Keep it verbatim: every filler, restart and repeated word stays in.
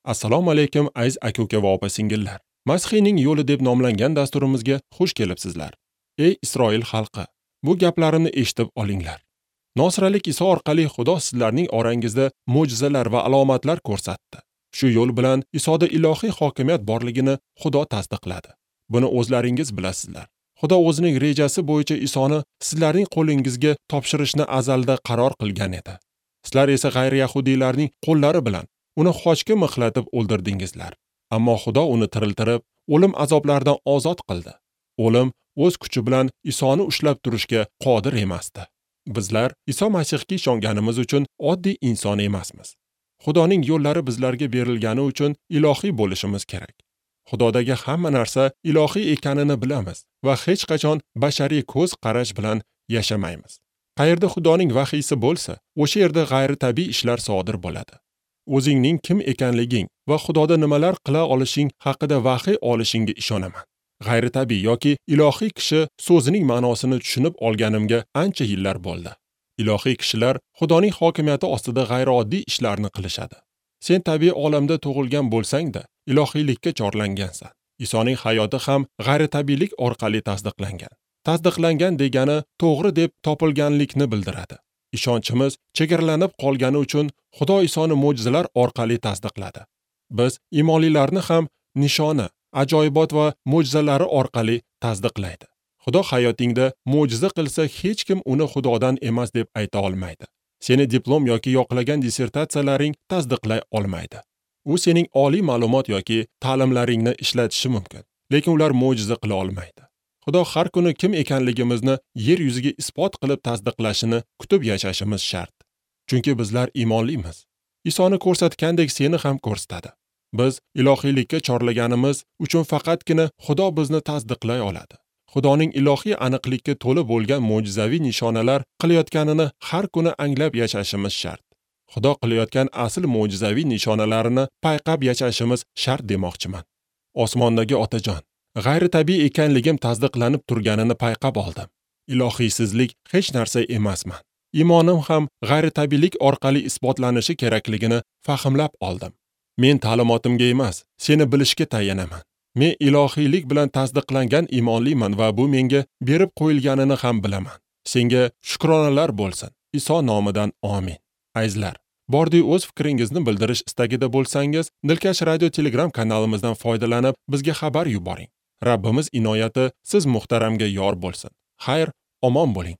Assalomu alaykum aziz aka-uka va opa-singillar. Masihiyning yo'li deb nomlangan dasturimizga xush kelibsizlar. Ey Isroil xalqi, bu gaplarimni eshitib olinglar. Nosiralik Iso orqali Xudo sizlarning orangizda mo'jizalar va alomatlar ko'rsatdi. Shu yo'l bilan Isoda ilohiy hokimiyat borligini Xudo tasdiqladi. Buni o'zlaringiz bilasizlar. Xudo o'zining rejasi bo'yicha Isoni sizlarning qo'lingizga topshirishni azalda qaror qilgan edi. Sizlar esa g'ayri-yahudiylarning qo'llari bilan uni xochga mixlatib o'ldirdingizlar. Ammo Xudo uni tiriltirib, o'lim azoblaridan ozod qildi. O'lim o'z kuchi bilan Isoni ushlab turishga qodir emasdi. Bizlar Iso Masihga ishonganimiz uchun oddiy inson emasmiz. Xudoning yo'llari bizlarga berilgani uchun ilohiy bo'lishimiz kerak. Xudodagi hamma narsa ilohiy ekanini bilamiz va hech qachon bashariy ko'z qarash bilan yashamaymiz. Qayerda Xudoning vahiysi bo'lsa, o'sha yerda g'ayritabiiy ishlar sodir bo'ladi. O'zingning kim ekanliging va Xudoda nimalar qila olishing haqida vahiy olishingga ishonaman. G'ayritabiiy yoki ilohiy kishi so'zining ma'nosini tushunib olganimga ancha yillar bo'ldi. Ilohiy kishilar Xudoning hokimiyati ostida g'ayrioddiy ishlarni qilishadi. Sen tabiiy olamda tug'ilgan bo'lsang-da, ilohiylikka chorlangansan. Isoning hayoti ham g'ayritabiiylik orqali tasdiqlangan. Tasdiqlangan degani to'g'ri deb topilganlikni bildiradi. Ishonchimiz chegaralanib qolgani uchun Xudo Isoni mo'jizalar orqali tasdiqladi. Biz imonlilarni ham nishona, ajoyibot va mo'jizalari orqali tasdiqlaydi. Xudo hayotingda mo'jiza qilsa, hech kim uni Xudodan emas deb ayta olmaydi. Seni diplom yoki yoqlagan dissertatsiyalaring tasdiqlay olmaydi. U sening oliy ma'lumot yoki ta'limlaringni ishlatishi mumkin, lekin ular mo'jiza qila olmaydi. Xudo har kuni kim ekanligimizni yer yuziga isbot qilib tasdiqlashini kutib yashashimiz shart. Chunki bizlar iymonlimiz. Isoni ko'rsatgandek seni ham ko'rsatadi. Biz ilohiylikka chorlaganimiz uchun faqatgina Xudo bizni tasdiqlay oladi. Xudoning ilohiy aniqlikka to'la bo'lgan mo'jizaviy nishonalar qilayotganini har kuni anglab yashashimiz shart. Xudo qilayotgan asl mo'jizaviy nishonalarini payqab yashashimiz shart demoqchiman. Osmondagi Otajon, g'ayritabiiy ekanligim tasdiqlanib turganini payqab oldim. Ilohiysizlik hech narsa emasman. Iymonim ham g'ayritabiiylik orqali isbotlanishi kerakligini fahmlab oldim. Men ta'limotimga emas, seni bilishga tayanaman. Men ilohiylik bilan tasdiqlangan iymonliman va bu menga berib qo'yilganini ham bilaman. Senga shukronalar bo'lsin. Iso nomidan amin. Azizlar, bordi o'z fikringizni bildirish istagida bo'lsangiz, Dilkash Radio Telegram kanalimizdan foydalanib bizga xabar yuboring. Rabbimiz inoyati siz muhtaramga yor bo'lsin. Xayr, omon bo'ling.